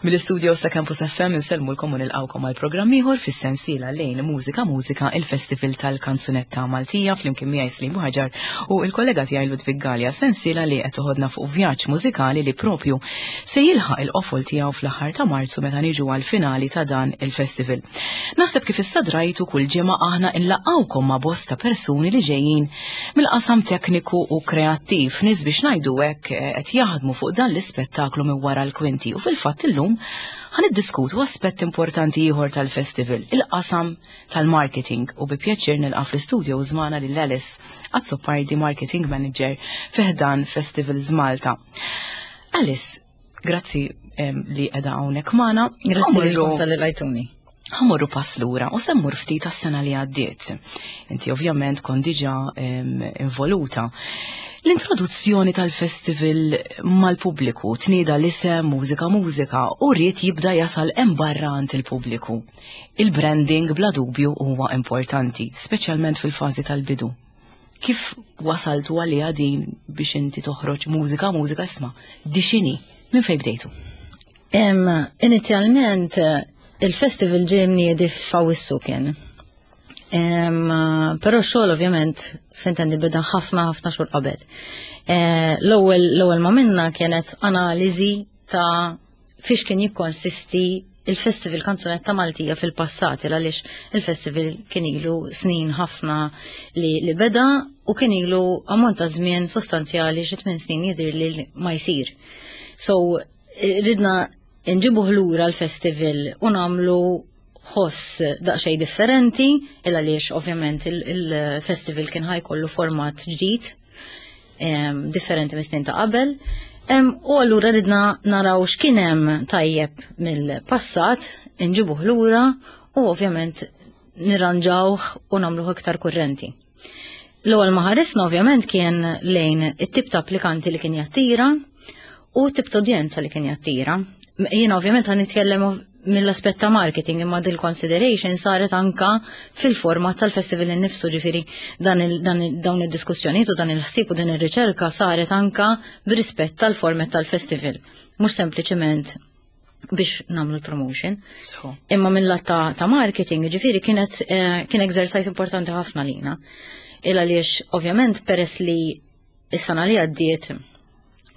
Mill-istudio sa' Campus FM insellmulkom u nilqawkom għal programm ieħor fis-sensiela lejn Mużika Mużika il-Festival tal-Kanzunetta Maltija flimkien miegħi Slim Ħaġar u l-kollega tiegħi Ludwig Gallia sensiela li qed toħodna fuq vjaġġ mużikali li propju se jilħaq il-qofol tiegħu fl-aħħar ta' Marzu meta niġu għall-finali ta' dan il-festival. Naħseb kif issa drajtu kull ġimgħa aħna nlaqgħukom ma' bosta persuni li ġejjin mill-qasam tekniku u kreattiv, nies biex ngħidu hekk eh, qed jaħdmu fuq dan l-ispettaklu minn wara l-kwinti u fil-fatt illum ħan iddiskutu aspett importanti ieħor tal-festival, il-qasam tal-marketing u bi pjaċir nilqa' fl-istudio żmana lil Alice Azzopardi Marketing Manager fi ħdan Festivals Malta. Alice, grazzi li qiegħda hawnhekk magħna. Grazzi lilkom tal-li lajtuni. Ħamorru pass lura u semmur ftit għas-sena li għaddiet. Inti ovvjament kont diġà involuta. L-introduzzjoni tal-festival mal-pubbliku tnieda l-isem Mużika Mużika u ried jibda jasal hemm barra għand il-pubbliku. Il-branding bla dubju huwa importanti, speċjalment fil-fażi tal-bidu. Kif wasaltu għaliha din biex inti toħroġ mużika, mużika isma' di x'inhi? Minn fejn bdejtu? Inizjalment il-festival ġie mniedi f'Awwissu kien. Però x-xogħol ovvjament s'intendi beda ħafna ħafna xhur qabel. Eh, l-ewwel l-ewwel ma minna kienet analiżi ta' fiex kien jikkonsisti il-Festival Kanzunetta Maltija fil-passat, il għaliex il-festival kien ilu snin ħafna li, li beda u kien ilu ammont ta' żmien sostanzjali xi tmien snin jidhir li ma jsir. So, ridna nġibuh lura l-festival u nagħmlu ħoss daqsxejn differenti, il għaliex ovvjament il-festival kien ħajkollu format ġdid differenti mis-snin ta' qabel. U allura ridna naraw x'kien hemm tajjeb mill-passat, nġibuh lura u ovvjament nirranġawh u nagħmluh iktar kurrenti. L-ewwel ma ħarisna ovvjament kien lejn it-tip ta' applikanti li kien jattira u tip ta' udjenza li kien jattira. Jiena ovvjament ħan nitkellem mill-aspett ta' marketing imma dil consideration saret anka fil-format tal-festival innifsu ġifieri dan dawn id-diskussjonijiet u dan il-ħsieb u din ir-riċerka saret anka b'rispett tal-format tal-festival. Mhux sempliċement biex namlu l-promotion. Imma mill-lat ta', ta marketing, ġifiri, kienet eh, kien exercise importanti ħafna lina. Il għaliex, ovvjament, peress li is-sena li għaddiet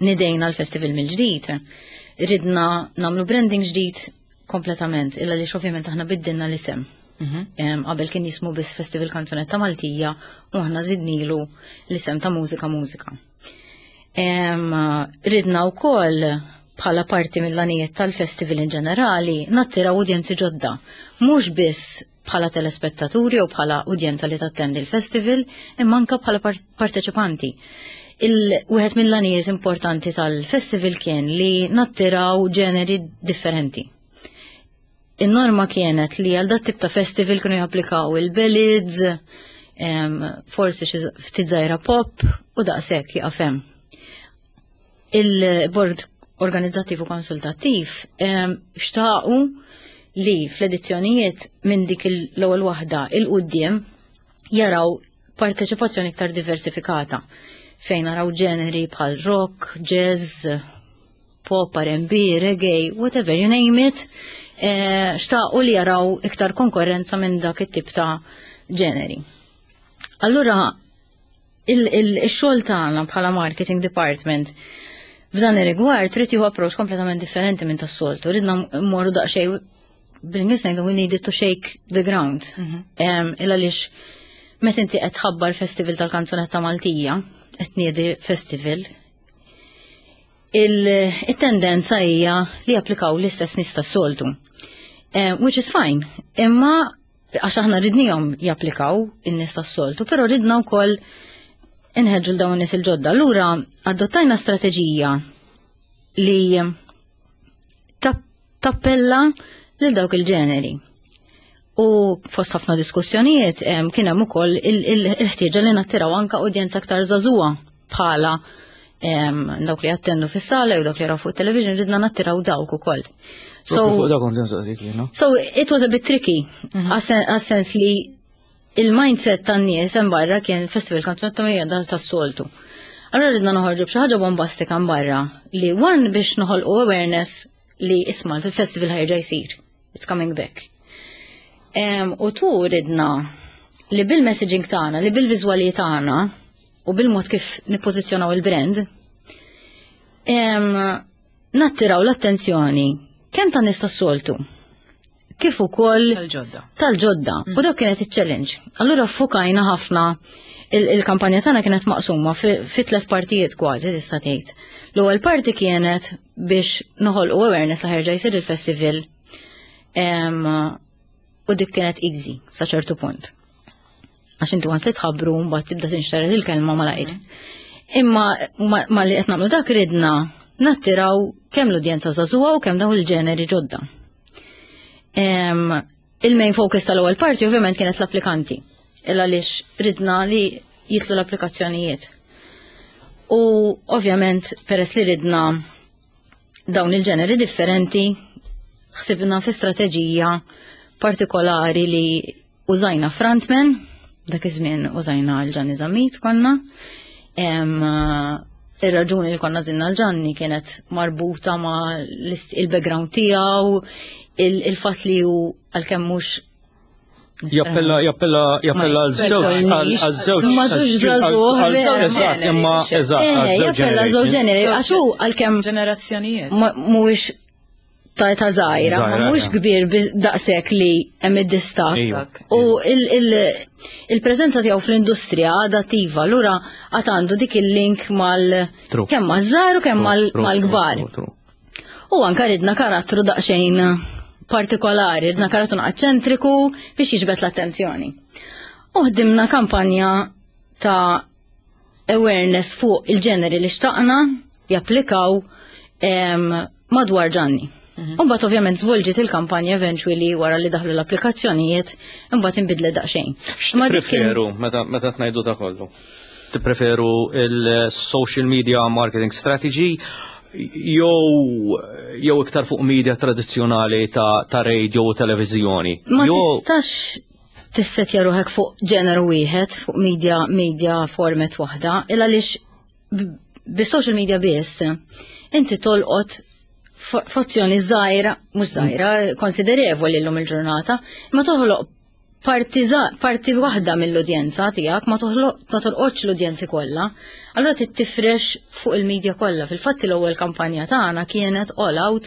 nidejna l-festival mill-ġdid, ridna namlu branding ġdid kompletament, il għaliex ovvjament aħna biddilna l-isem. Mhm. Qabel kien jismu biss Festival Kanzunetta Maltija u aħna zidnilu l-isem ta' Mużika Mużika. Ridna wkoll bħala parti mill-għanijiet tal-festival in ġenerali nattiraw udjenzi ġodda, mhux biss bħala telespettaturi u bħala udjenza li tattendi l-festival, imma anka bħala parteċipanti. Il-wieħed mill-għanijiet importanti tal-festival kien li nattiraw ġeneri differenti. In-norma kienet li għal dat tip ta' festival kienu japplikaw il-ballads, forsi xi ftit żgħira pop u daqshekk jaqaf hemm. Il-bord organizzattiv u konsultattiv xtaqu li fl-edizzjonijiet minn dik l-ewwel waħda il-quddiem jaraw parteċipazzjoni iktar diversifikata fejn naraw ġeneri bħal rock, jazz, pop, R&B, reggae, whatever you name it, eh, xtaqu li jaraw iktar konkurrenza minn dak it-tip ta' ġeneri. Allura, il-xogħol tagħna bħala marketing department f'dan ir-rigward trid jieħu approach kompletament differenti minn tas-soltu. Ridna mmorru daqsxejn bil-Ingliż ngħidu we needed to shake the ground. Mhm. Il għaliex meta inti qed tħabbar festival tal-kanzunetta Maltija, qed niedi festival, il-tendenza hija li japplikaw l-istess nies tas-soltu. Eh, which is fine, imma għax aħna ridnihom japplikaw in-nies tas-soltu, però ridna wkoll inħeġġu l dawn nies il-ġodda. Allura adottajna strateġija li tappella lil dawk il-ġeneri. U fost ħafna diskussjonijiet kien hemm ukoll il-ħtieġa li nattiraw anka udjenza aktar żagħżugħa bħala dawk li jattendu fis-sala jew dawk li jaraw fuq television, ridna nattiraw dawk ukoll. So, so it was a bit tricky, għas-sens li il-mindset tan-nies hemm barra kien festival kanzunetta hija dan tas-soltu. Allora ridna noħorġu b'xi ħaġa bombastika hemm barra li one biex noħolqu awareness li isma' il-festival ħa jerġa' jsir. It's coming back. U tu ridna li bil-messaging tagħna, li bil-viżwali tagħna u bil-mod kif nippożizzjonaw il-brand, nattiraw l-attenzjoni kemm ta' nies tas-soltu kif ukoll tal-ġodda. Tal-ġodda. U dak kienet iċ-challenge. Allura fukajna ħafna, il-kampanja tagħna kienet maqsuma fi tliet partijiet kważi, tista' tgħid. L-ewwel parti kienet biex noħolqu awareness li ħa jerġa' jsir il-festival u dik kienet easy sa ċertu punt. Għax inti once li tħabbru, mbagħad tibda tinxtered il-kelma malajr. Imma ma li qed nagħmlu dak, ridna nattiraw kemm l-udjenza żagħżugħa u kemm dawn il-ġeneri ġodda. Il-main focus tal-ewwel parti ovvjament kienet l-applikanti. Illa għaliex ridna li jitlu l-applikazzjonijiet. U ovvjament peress li ridna dawn il-ġeneri differenti, ħsibna fi strateġija partikolari li użajna frontman, dak iż-żmien użajna l-Ġanni Zammit konna. Ir-raġuni li konna għażilna l-Ġanni kienet marbuta ma' il-background tiegħu, il-fatt li hu għalkemm mhux Jappella għal-żewġ, għal-żewġ. Ma żewġ żagħżugħ. Eżatt, imma eżatt. Jappella żewġ ġeneri, għax hu għalkemm ġenerazzjonijiet. Mhuwiex ta' ta' żgħira, ma mhux kbir daqshekk li hemm id-distakk. U il-preżenza tiegħu fl-industrija adattiva, allura għad għandu dik il-link mal kemm maż-żgħar u kemm mal-kbar. U anka ridna karattru daqsxejn partikolari, ridna karattru eċċentriku biex jiġbed l-attenzjoni. U ħdimna kampanja ta' awareness fuq il-ġeneri li xtaqna japplikaw madwar Ġanni. Imbagħad ovvjament żvolġiet il-kampanja eventually wara li daħlu l-applikazzjonijiet, imbagħad inbidlet daqsxejn. Ma preferu meta tnajdu da kollu? Tippreferu il-social media marketing strategy jew iktar fuq media tradizzjonali ta' radio u televizjoni? Ma tistax tissetja ruħek fuq ġeneru wieħed, fuq media format waħda, illa għaliex bi-social media biss inti tolqot fazzjoni żgħira, mhux żgħira, konsiderevoli llum il-ġurnata, ma toħloq parti waħda mill-udjenza tiegħek, ma toħloq ma tolqotx l-udjenzi kollha. Allura trid tifrex fuq il-medja kollha. Fil-fatt l-ewwel kampanja tagħna kienet all out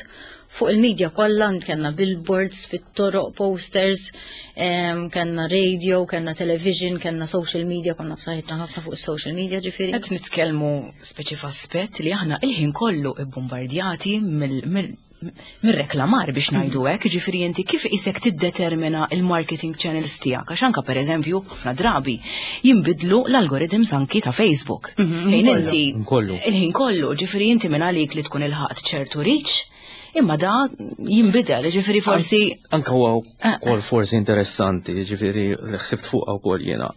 fuq il-medja kollha, kellna billboards fit-toroq, posters, kellna radio, kellna television, kellna social media, konna b'saħħitna ħafna fuq social media ġifieri. Qed nitkellmu speċi f'aspett li aħna il-ħin kollu ibbombardjati mir-reklamar biex ngħidu hekk, ġifieri inti kif isek tiddetermina il-marketing channels tiegħek, għax anka pereżempju ħafna drabi jinbidlu l-algorithms anki ta' Facebook. Fejn inti Kollu. il-ħin kollu, ġifieri inti minn għalik li tkun ilħaqt ċertu reach, imma da jinbidel, ġifieri forsi Anka huwa wkoll forsi interessanti, ġifieri li ħsibt fuqha wkoll jiena.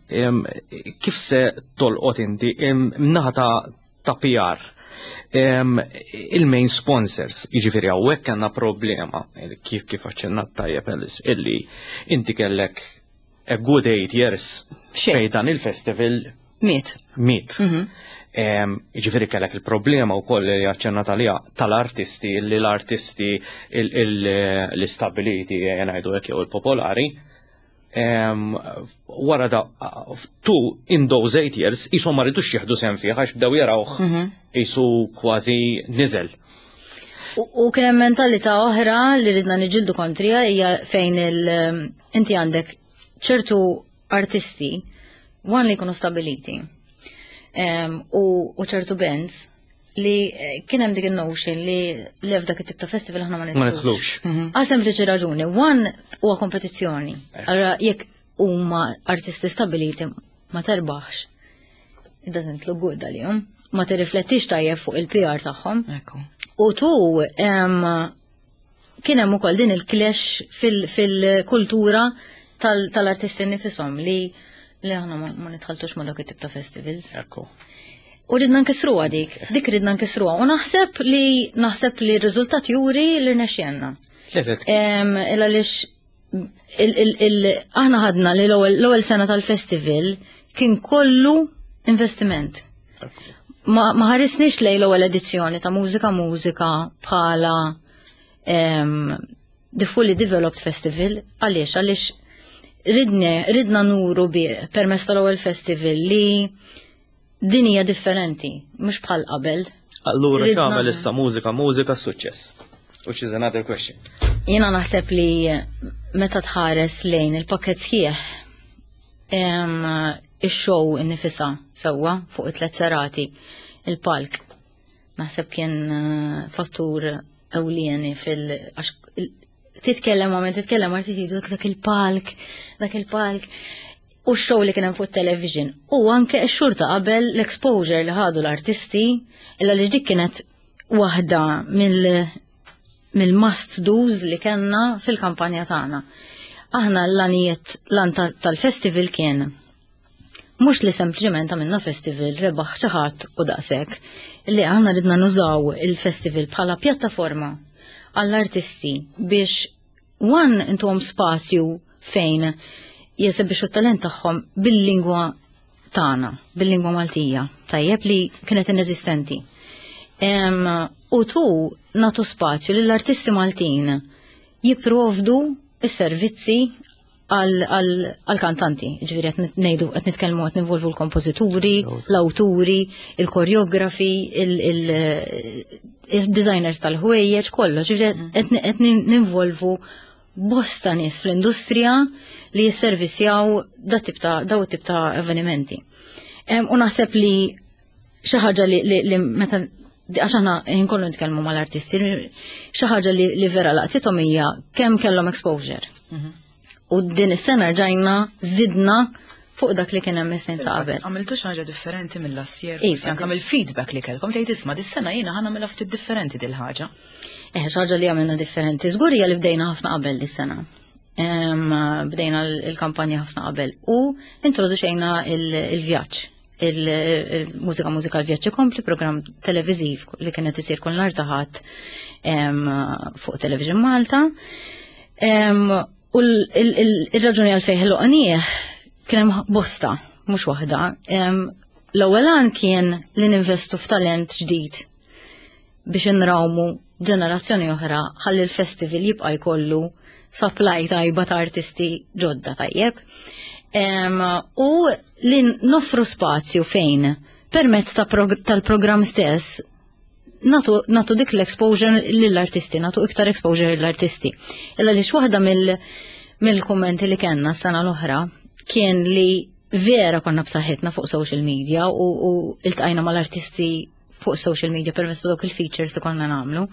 Kif se tolqot inti naħa ta' PR? Il-main sponsors, jiġifieri hawnhekk għandna problema, kif aċċennat tajjeb Alice, illi inti kellek a good 8 years Xejn. fej dan il-festival miet. Miet. Ġifieri kellek il-problema u koll li aċċennat għalija tal-artisti, li l-artisti l-istabiliti, ngħidu hekk, jew il-popolari, wara da tu in those 8 years jisom ma ridux jieħdu sehem fih għax bdew jarawh jisu kważi niżel. U kien hemm mentalità oħra li ridna niġġieldu kontrija, hija fejn inti għandek ċertu artisti one li jkunu stabiliti u ċertu bands li kien hemm dik il-notion li li f'dak it-tip ta' festival aħna ma Ma nidħlux. nidħlux. Għal sempliċi raġuni, one huwa kompetizzjoni. Allora jekk huma artisti stabiliti ma terbaħx, it doesn't look good għalihom. Ma tirriflettix tajjeb fuq il-PR tagħhom. Ekku. U tu, kien hemm ukoll din il-clash fil-kultura tal-artisti nifisom li li aħna ma nitħaltux ma dak it-tip ta' festivals. Ekku. U ridna nkissruha dik, dik ridna nkissruha. U naħseb li naħseb li r-riżultat juri li rnexxielna. Illa lix aħna ħadna li l-ewwel sena tal-festival kien kollu investiment. Ma ħarisniex lej l-ewwel edizzjoni ta' Mużika Mużika bħala the fully developed festival. Għaliex? Għaliex ridna nuru bi permezz tal-ewwel festival li din hija differenti, mhux bħal qabel. Allura x'għamel issa Mużika Mużika suċċess? Which is another question. Jiena naħseb li meta tħares lejn il-pakket sħiħ ix-show innifisha sewwa fuq it-tlet serati, il-palk naħseb kien fattur ewlieni fil- għax titkellem għamel titkellem għarti jgħidu dak il-palk, dak il-palk. U x-show li kien hemm fuq television. U anke x-xhur ta' qabel l-exposure li ħadu l-artisti, illa li dik kienet waħda mill-must do's li kellna fil-kampanja tagħna. Aħna l-għanijiet l tal-festival kien mhux li sempliċement għamilna festival rebaħ xi ħadd u daqshekk, li aħna ridna nużaw il-festival bħala pjattaforma għall-artisti biex one intuhom spazju fejn jesebixxu t-talent tagħhom bil-lingwa tagħna, bil-lingwa Maltija, tajjeb li kienet ineżistenti. U tu natu spazju lill-artisti Maltin jipprovdu s-servizzi għal-kantanti, ġifieri qed ngħidu qed nitkellmu qed ninvolvu l-kompożituri, l-awturi, il-koreografi, il-designers tal-ħwejjeġ, kollox, ġifieri qed ninvolvu bosta nies fl-industrija li jisservisjaw da tip ta' daw tip ta' avvenimenti. U naħseb li xi ħaġa li meta għax aħna nkollu nitkellmu mal-artisti, xi ħaġa li vera laqtithom hija kemm kellhom exposure. U din is-sena rġajna żidna fuq dak li kien hemm is-snin ta' qabel. Għamiltu xi ħaġa differenti mill-last year, Iva. forsi anke mill-feedback li kellkom tgħid isma' dis-sena jiena ħa nagħmilha ftit differenti dil-ħaġa. Xi ħaġa li għamilna differenti żgur hija li bdejna ħafna qabel dis-sena. Bdejna l-kampanja ħafna qabel u introduċejna il-vjaġġ. Il-mużika mużika l-vjaġġ ikompli, programm televiżiv li kienet isir kull nhar ta' Ħadd fuq Television Malta. U il-raġuni għalfejn ħloqnieh kien hemm bosta, mhux waħda. L-ewwel għan kien li ninvestu f'talent ġdid biex inrawmu ġenerazzjoni oħra ħalli l-festival jibqa' jkollu supply tajba ta' artisti ġodda tajjeb. U li noffru spazju fejn permezz tal-programm stess natu dik l-exposure lill-artisti, natu iktar exposure lill-artisti. Illa li waħda mill-kummenti li kellna s-sena l-oħra kien li vera konna b'saħħitna fuq social media u iltqajna mal-artisti fuq social media permezz ta' dawk il-features li konna nagħmlu.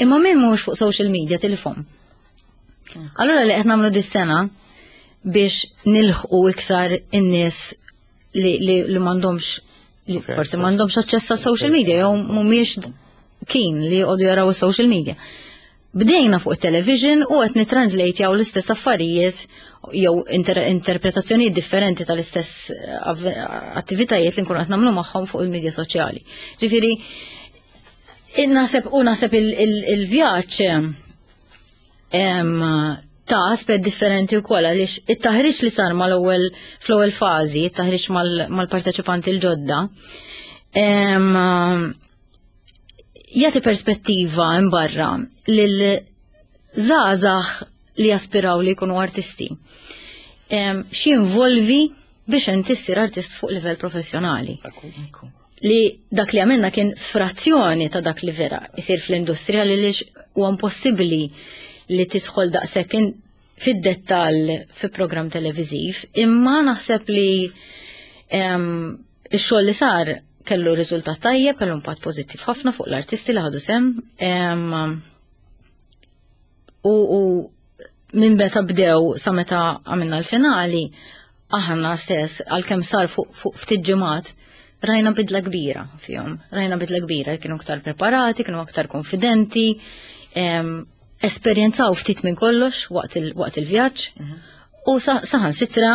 Imma min mhux fuq social media tilifhom. Allura li qed nagħmlu dis-sena biex nilħqu iktar in-nies li m'għandhomx li forsi m'għandhomx aċċess għas social media jew mhumiex keen li jqogħdu jaraw is-social media. Bdejna fuq it-television u qed nitranslate l-istess affarijiet jew interpretazzjonijiet differenti tal-istess attivitajiet li nkunu qed nagħmlu magħhom fuq il-medja soċjali. Ġifieri naħseb u naħseb il-vjaġġ ta' aspett differenti wkoll għaliex it-taħriġ li sar mal-ewwel fl-ewwel fażi, it-taħriġ mal-parteċipanti l-ġodda, jagħti perspettiva imbarra lil żgħażagħ li jaspiraw li jkunu artisti. X'involvi biex inti ssir artist fuq livell professjonali. Li dak li għamilna kien frazzjoni ta' dak li vera isir fl-industrija li lix huwa impossibbli li tidħol daqshekk fid-dettall fi programm televiżiv, imma naħseb li ix-xogħol li sar kellu riżultat tajjeb, kellu impatt pożittiv ħafna fuq l-artisti li ħadu sem. U minn meta bdew sa meta għamilna l-finali, aħna stess għalkemm sar fuq ftit ġimgħat, rajna bidla kbira fihom, rajna bidla kbira, kienu aktar preparati, kienu aktar konfidenti. esperjenzaw ftit minn kollox waqt il-vjaġġ u saħansitra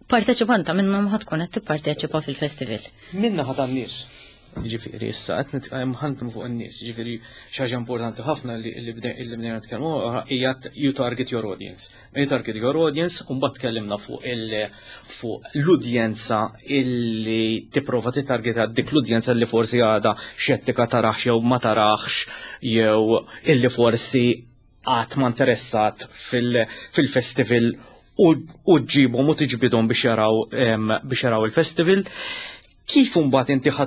parteċipanta minnhom ħa tkun qed tipparteċipa fil-festival. Min-naħa tan-nies. Ġifieri issa qed nitkellem ħantum fuq in-nies, ġifieri xi ħaġa importanti ħafna li bdejna nitkellmu hija you target your audience. You target your audience u mbagħad tkellimna fuq il fuq l-udjenza illi tipprova titargeta dik l-udjenza li forsi għadha xettika tarax jew ma tarax jew illi forsi qatt ma interessat fil-festival u ġġibhom u tiġbidhom biex jaraw biex jaraw il-festival. Kif imbagħad inti ħa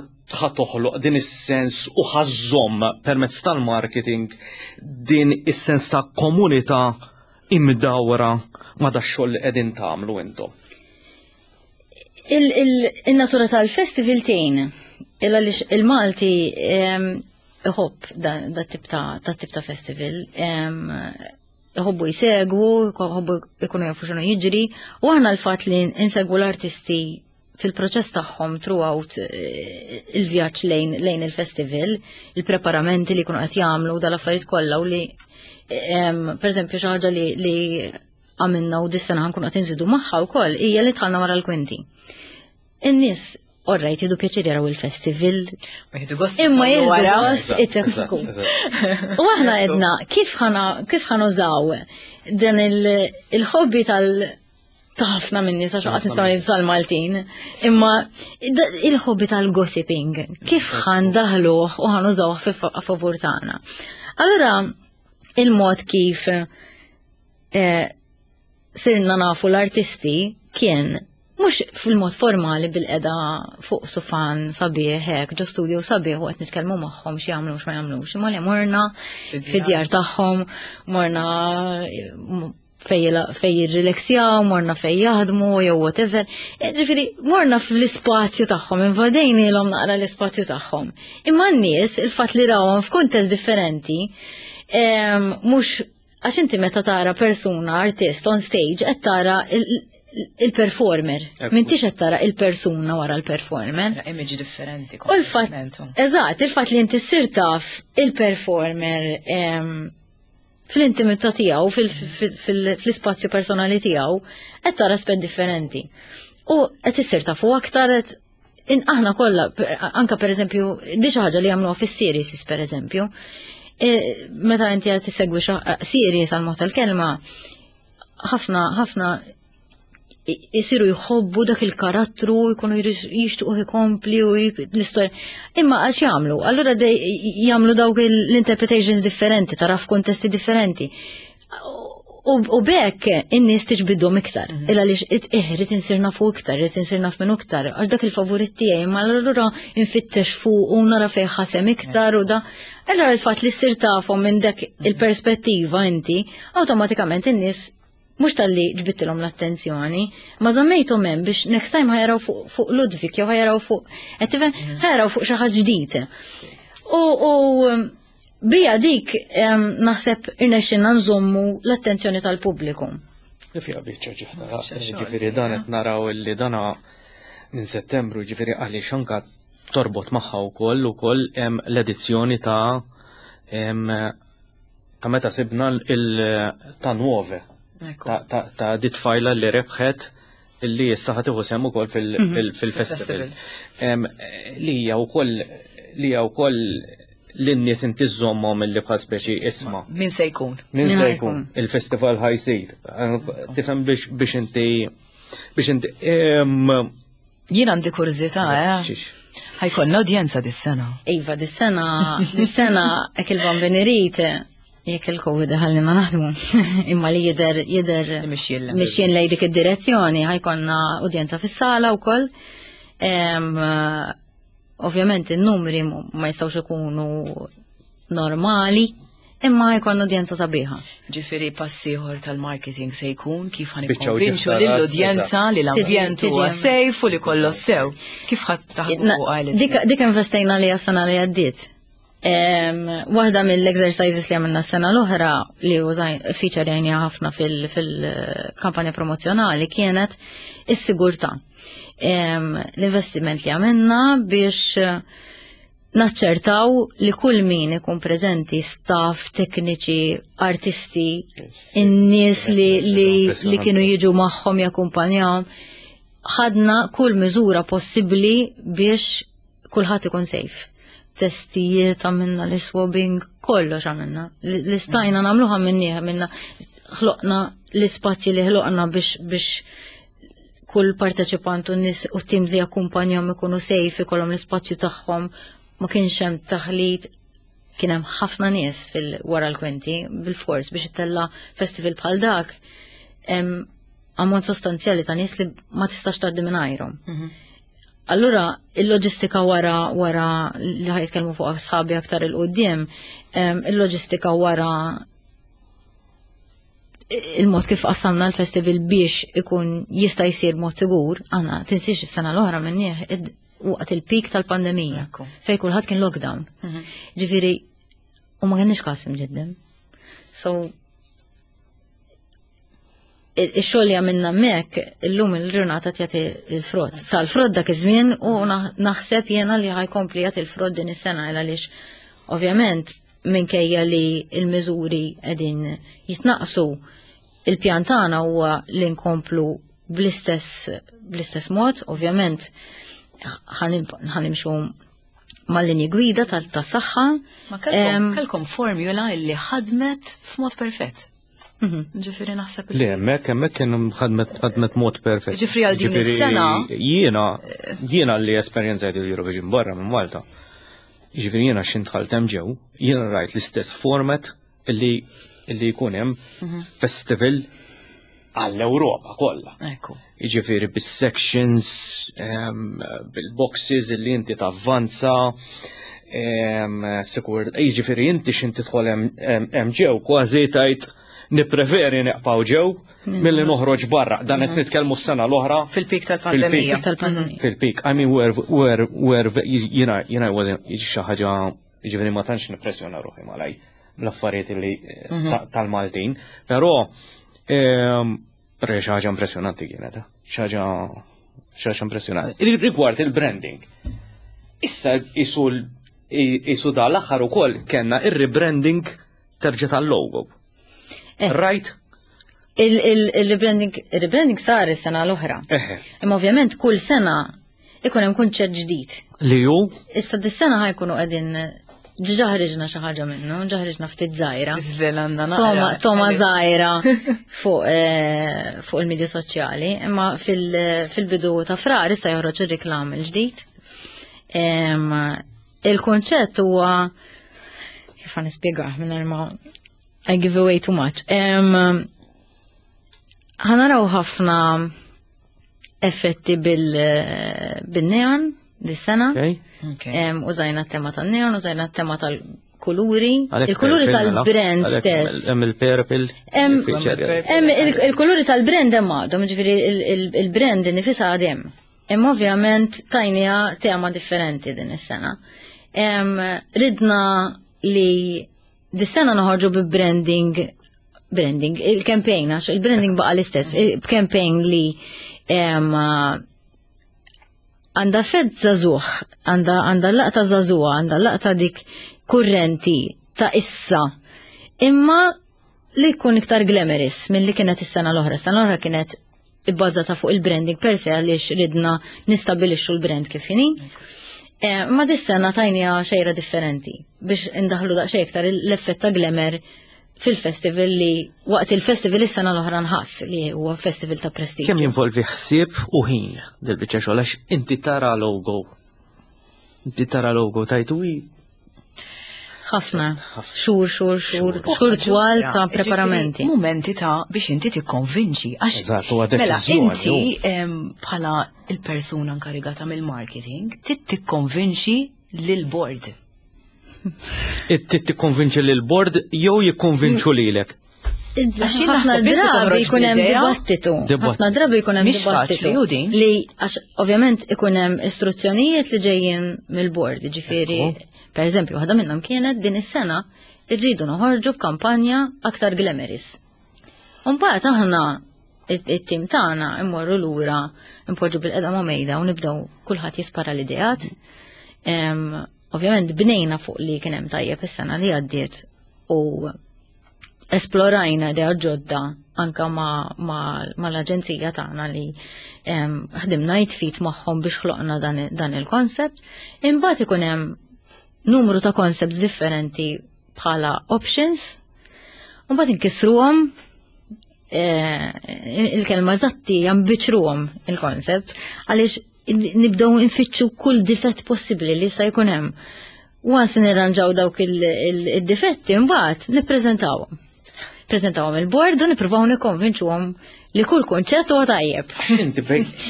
toħloq din is-sens u ħa żżomm permezz tal-marketing din is-sens ta' komunità imdawra ma' dax-xogħol li qegħdin tagħmlu intom? Il-natura tal-festival tgħin il għaliex il-Malti iħobb da tip ta' tip ta' festival. Iħobbu jsegwu, iħobbu ikunu jafu x'inhu jiġri, u aħna l-fatt li insegwu l-artisti fil-proċess tagħhom throughout il-vjaġġ lejn il-festival, il-preparamenti li jkunu qed jagħmlu dal-affarijiet kollha u li per eżempju xi ħaġa li għamilna u dis-sena ħa nkunu qed inżidu magħha wkoll hija li dħalna wara l-kwinti. In-nies orrajt jieħdu pjaċir jaraw il-festival. Imma jieħdu gost it-sku. U aħna għedna kif ħa nużaw dan il-hobby tal- ta' ħafna minni, sa xaqas nistgħu ngħidu tal-Maltin, imma il-hobby tal-gossiping, kif ħa ndaħħluh u ħa nużawh fi favur tagħna. Allura il-mod kif sirna nafu l-artisti kien mhux fil-mod formali bil-qeda fuq sufan sabiħ hekk, ġo studio sabiħ u qed nitkellmu magħhom xi jagħmlu x'ma jagħmlux, imma li morna fid-djar tagħhom, morna fej jirrileksjaw, morna fej jaħdmu, jew whatever. Ġifieri, morna fl-ispazju tagħhom, invadejnielhom naqra l-ispazju tagħhom. Imma n-nies, il-fatt li rawhom f'kuntest differenti, mhux għax inti meta tara persuna, artist on stage, qed tara il-performer. M'intix qed tara il-persuna wara l-performer. Image differenti. U l-fatt, eżatt, il-fatt li inti ssir taf il-performer fl-intimità tiegħu, fl-ispazju personali tiegħu, qed tara aspett differenti. U qed issir tafu aktar qed aħna kollha, anka per eżempju, di xi ħaġa li jagħmluha fis-series per eżempju, meta inti qed tissegwi series għal mod tal-kelma, ħafna ħafna jisiru jħobbu dak il-karattru, jkunu jixtuq ikompli u l-istorja. Imma għax jagħmlu, allura jagħmlu dawk l-interpretations differenti, tara f'kontesti differenti. U bekk in-nies tiġbidhom iktar. Illa li irrid insir nafu iktar, irrid insir naf minnu iktar, għax dak il-favorit tiegħi, ma allura infittex fuq u nara fejn ħasem iktar u da. Allura il-fatt li ssir tafhom minn dak il-perspettiva inti, awtomatikament in-nies mhux talli ġbidtilhom l-attenzjoni, ma żammejthom hemm biex next time ħa jaraw fuq Ludwig jew ħa jaraw fuq, qed tifhem, ħa jaraw fuq xi ħadd ġdid. U bija dik naħseb irnexxinna nżommu l-attenzjoni tal-pubbliku. Fija biċċa ġiħda, ġifieri dan qed naraw illi dana minn Settembru, ġifieri għaliex anka torbot magħha wkoll ukoll l-edizzjoni ta' meta sibna ta' Nuove. Ta' dit tfajla li rebħet illi issa ħa tieħu sehem ukoll fil-festival. Li hija wkoll li hija wkoll lin-nies inti żżommhom illi bħal speċi isma'. Min se jkun? Min se jkun? Il-festival ħa jsir. Tifhem biex inti Jien għandi kurżità, eh? Ħa jkollna udjenza dis-sena. Iva, dis-sena hekk il-Bambin irid, jekk il-Covid ħallina naħdmu, imma li jidher mixjien lej dik id-direzzjoni, ħa jkollna udjenza fis-sala wkoll. Ovvjament in-numri ma jistgħux ikunu normali, imma jkun udjenza sabiħa. Ġifieri pass ieħor tal-marketing se jkun kif ħa nikkonvinċu lill-udjenza li l-ambjent huwa safe u li kollox sew. Kif ħa taħdmu fuq għal? Dik investejna li sena li għaddiet. Waħda mill-exercises li għamilna s-sena l-oħra li użaj feature għajnija ħafna fil-kampanja promozjonali kienet is-sigurtà. L-investiment li għamilna biex. Naċċertaw li kull min ikun preżenti, staff, tekniċi, artisti, in-nies li, li, li kienu jiġu magħhom jakkumpanjawhom, ħadna kull miżura possibbli biex kulħadd ikun safe. Testijiet għamilna l-swabbing, kollox għamilna. Li stajna nagħmlu għamilnieh, għamilna ħloqna l-ispazji li ħloqna biex kull parteċipant u nies u tim li jakkumpanjahom ikunu safe, ikollhom l-ispazju tagħhom, ma kienx hemm taħlit, kien hemm ħafna nies fil-wara l-kwinti, bil-fors biex ittella festival bħal dak, hemm ammont sostanzjali ta' nies li ma tistax tgħaddi mingħajrhom. Allura il-loġistika wara li ħa jitkellmu fuq sħabi aktar il-qudiem, il-loġistika wara il-mod kif qassamna l-festival biex ikun jista' jsir mod sigur, għandna tinsiex is-sena l-oħra minnieh waqt il-pik tal-pandemija, fej kulħadd kien lockdown. Ġifieri, u ma kienx każ imġiddem. So, ix-xogħol li għamilna hemmhekk illum il-ġurnata jagħti il-frott. Tal-frott dak iż-żmien u naħseb jiena li ħa jkompli jagħti il-frott din is-sena għaliex ovvjament minkejja li il-miżuri qegħdin jitnaqsu, il-pjan tagħna huwa li nkomplu bl-istess mod, ovvjament ħa nimxu mal-linji gwida tas-saħħa. Ma kellkom formula li ħadmet f'mod perfett. Ġifieri naħseb. Le, hemmhekk kien ħadmet mod perfett. Ġifieri għal din is-sena. Jiena li esperjenzajt il-Eurovision barra minn Malta. Ġifieri jiena x'ħin dħalt hemm ġew, jiena rajt l-istess format illi jkun hemm festival għall-Ewropa kollha. Ġifieri bis-sections, bil-boxes illi inti tavvanza, sikur, ġifieri inti x'ħin tidħol hemm ġew kważi tajt nippreferi neqpaw ġew milli noħroġ barra. Dan qed nitkellmu s-sena l-oħra. Fil-pik tal-pandemija. Fil-pik. I mean, where, jiena wasn't xi ħaġa, ġifieri ma tantx nippressjona ruħi malaj l-affarijiet li tal-Maltin, però xi ħaġa impressjonanti kienet, xi ħaġa impressjonanti. Rigward il-branding. Issa isu dal-aħħar ukoll kellna ir-rebranding terġa' tal-logo. Right? Il-rebranding sar is-sena l-oħra. Imma ovvjament kull sena ikun hemm kunċett ġdid. Li hu? Issa dis-sena ħa jkunu qegħdin ġa ħriġna xi ħaġa minnu, ġa ħriġna ftit żgħira. Żvelanna naqra. Togħma żgħira fuq il-medja soċjali, imma fil-bidu ta' Frar issa joħroġ ir-reklam il-ġdid. Il-konċett huwa kif ħa nispjegah mingħajr ma I give away too much. Ħa naraw ħafna effetti bil-neon dis-sena. Użajna t-tema tan-neon, użajna t-tema tal-kuluri, il-kuluri tal-brand stess. Hemm il-purple. Hemm il-kuluri tal-brand hemm għadhom, ġifieri il-brand nifisha għadhem. Imma ovvjament tajniha tema differenti din is-sena. Ridna li dis-sena noħorġu bi branding, branding, il-campaign, għax il-branding baqa l-istess, il-campaign li għandha fed żagħżugħ, għandha laqta żagħżugħa, għandha laqta dik kurrenti ta' issa. Imma li jkun iktar glamorous mill-li kienet is-sena l-oħra. Is-sena l-oħra kienet ibbażata fuq il-branding per se għaliex ridna nistabilixxu l-brand kif inhi. Ma dis-sena tajniha xejra differenti biex indaħlu daqsxejn iktar l-effett ta' glamour fil-festival li waqt il-festival is-sena l-oħra nħass li huwa festival ta' prestiġ. Kemm jinvolvi ħsieb u ħin dil-biċċa xogħol għax inti tara logo. Inti tara logo tajtu ħafna, xhur, xhur, xhur, xhur twal ta' preparamenti. Momenti ta' biex inti tikkonvinċi. Għax Eżatt, huwa mela, deċiżjoni, inti bħala il-persuna inkarigata mill-marketing, trid tikkonvinċi lil-board. Trid tikkonvinċi lil-board jew jikkonvinċu lilek? Għax jien Ħafna naħseb inti drabi toħroġ jkun hemm bl-idea. dibattitu. Dibattitu. Ħafna drabi jkun hemm Mhix dibattitu. faċli, u din. Li għax ovvjament ikun hemm istruzzjonijiet li ġejjin mill-board, ġifieri, per eżempju, waħda minnhom kienet din is-sena irridu noħorġu b'kampanja aktar glamorous. Mbagħad aħna it-tim tagħna immorru lura npoġġu bilqiegħda ma' mejda u nibdew kulħadd jispara l-ideat. Ovvjament bnejna fuq li kien hemm tajjeb is-sena li għaddiet u esplorajna idea ġodda anka ma l-aġenzija tagħna li ħdimna jitfit magħhom biex ħloqna dan il-koncept. Imbagħad ikun hemm numru ta' concepts differenti bħala options, u mbagħad inkissruhom eh, il-kelma eżatti jambiċruhom il-concept għaliex nibdew nfittxu kull difett possibbli li sa jkun hemm. Once nirranġaw dawk il-difetti, mbagħad nippreżentawhom. Preżentawhom il-board u nippruvaw nikkonvinċuhom li kull kunċett huwa tajjeb. Inti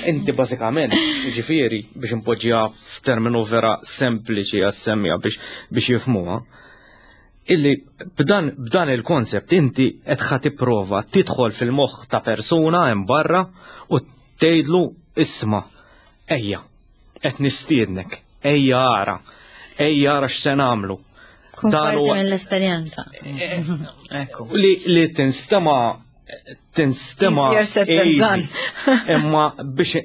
inti bażikament, ġifieri biex impoġġiha f'terminu vera sempliċi għas-semmija biex biex jifhmuha, illi b'dan b'dan il-konsept inti qed ħa tipprova tidħol fil-moħħ ta' persuna hemm barra u tgħidlu isma' ejja qed nistiednek, ejja ara, ejja ara x'se nagħmlu. Kun parti mill-esperjenza. Ekku. Li, li tinstema tinstema Easier said than easy. done. Imma biex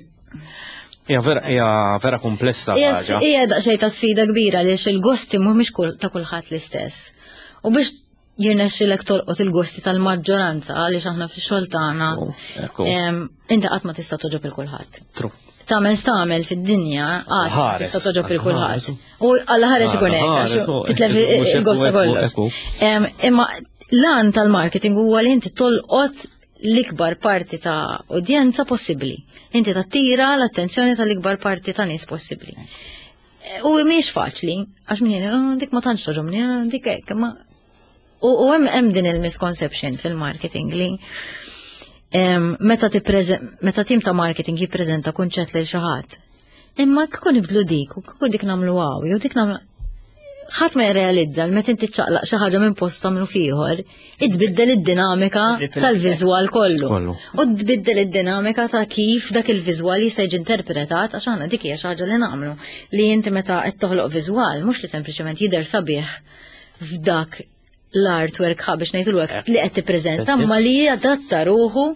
hija vera hija vera komplessa Hija ħaġa. Hija daqsxejn ta' sfida kbira għaliex il-gosti mhumiex kull ta' kulħadd l-istess. U biex jirnexxilek tolqot il-gosti tal-maġġoranza għaliex aħna fix-xogħol tagħna Ekku, inti qatt ma tista' toġob il kulħadd. True. Tagħmel x'tagħmel fid-dinja qatt ma Ħares, tista' toġob il kulħadd. ħares. U alla ħares ikun hekk Ħares, għax oh, titlef mhux ekku, il-gosta ekku, kollox. ekku. Imma l-għan tal-marketing huwa li inti tolqot l-ikbar parti ta' udjenza possibbli. Inti tattira l-attenzjoni tal-ikbar parti ta' nies possibbli. U mhijiex faċli, għax min jgħid, "Oh, dik ma tantx toġobni, ah, dik hekk, imma U hemm hemm din il-misconception fil-marketing li meta meta tim ta' marketing jippreżenta kunċett lil xi ħadd. Imma kieku nibdlu dik u kieku dik nagħmlu hawn jew dik nagħmlu ħadd ma jirrealizza li meta inti ċċaqlaq xi ħaġa minn post tagħmlu f'ieħor, itbiddel id-dinamika tal-viżwal kollu. U tbiddel id-dinamika ta' kif dak il-viżwal jista' jiġi interpretat għax aħna dik hija xi ħaġa li nagħmlu li inti meta qed toħloq viżwal mhux li sempliċement jidher sabiħ f'dak l-artwork ħa biex ngħidu l li qed tippreżenta, ma li jadatta ruħu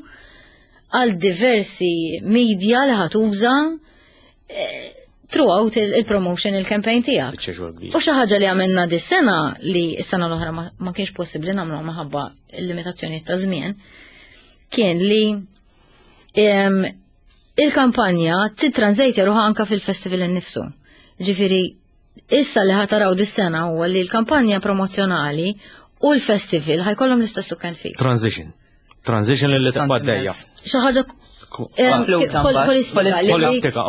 għal diversi media li ħatuża eh, throughout il-promotion il-campaign tiegħek. U xi ħaġa li għamilna dis-sena li s-sena l-oħra ma kienx possibbli nagħmlu minħabba l-limitazzjoni ta' żmien kien li il-kampanja titranslate ruħha anka fil-festival innifsu. Ġifieri Issa li ħataraw dis-sena huwa li l-kampanja promozzjonali u l-festival ħajkollhom l-istess look and feel. Transition. Transition li tibqa' għaddejja. Xi ħaġa Holistika,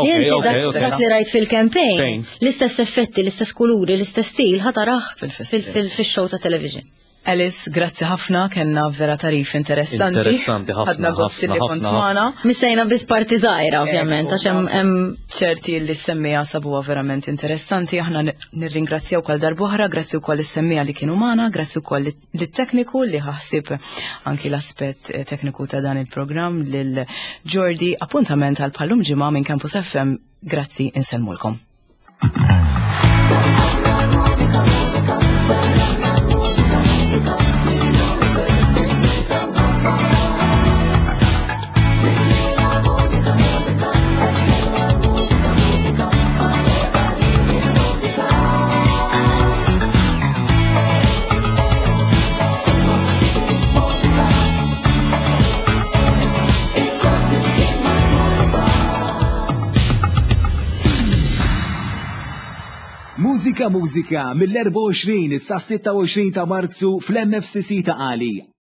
ok, Dak li rajt fil-campaign, l-istess effetti, l-istess kuluri, l-istess stil ħataraħ fil-show ta' television. Alice, grazzi ħafna, kellna vera tarif interessanti. Interessanti ħafna. Ħadna gost li kont magħna. Missejna biss parti żgħira ovvjament, għax hemm ċerti li semmija sabuha verament interessanti, aħna nirringrazzjaw kol darb'oħra, grazzi wkoll is-semmija li kienu magħna, grazzi wkoll lit-tekniku li ħassib anki l-aspett eh, tekniku ta' dan il-programm lil Jordi. Appuntament għal bħallum ġimgħa minn Campus FM. Grazzi, insellmulkom. Mużika Mużika mill-24 sa 26 ta' Marzu fl-MFCC ta' Qali.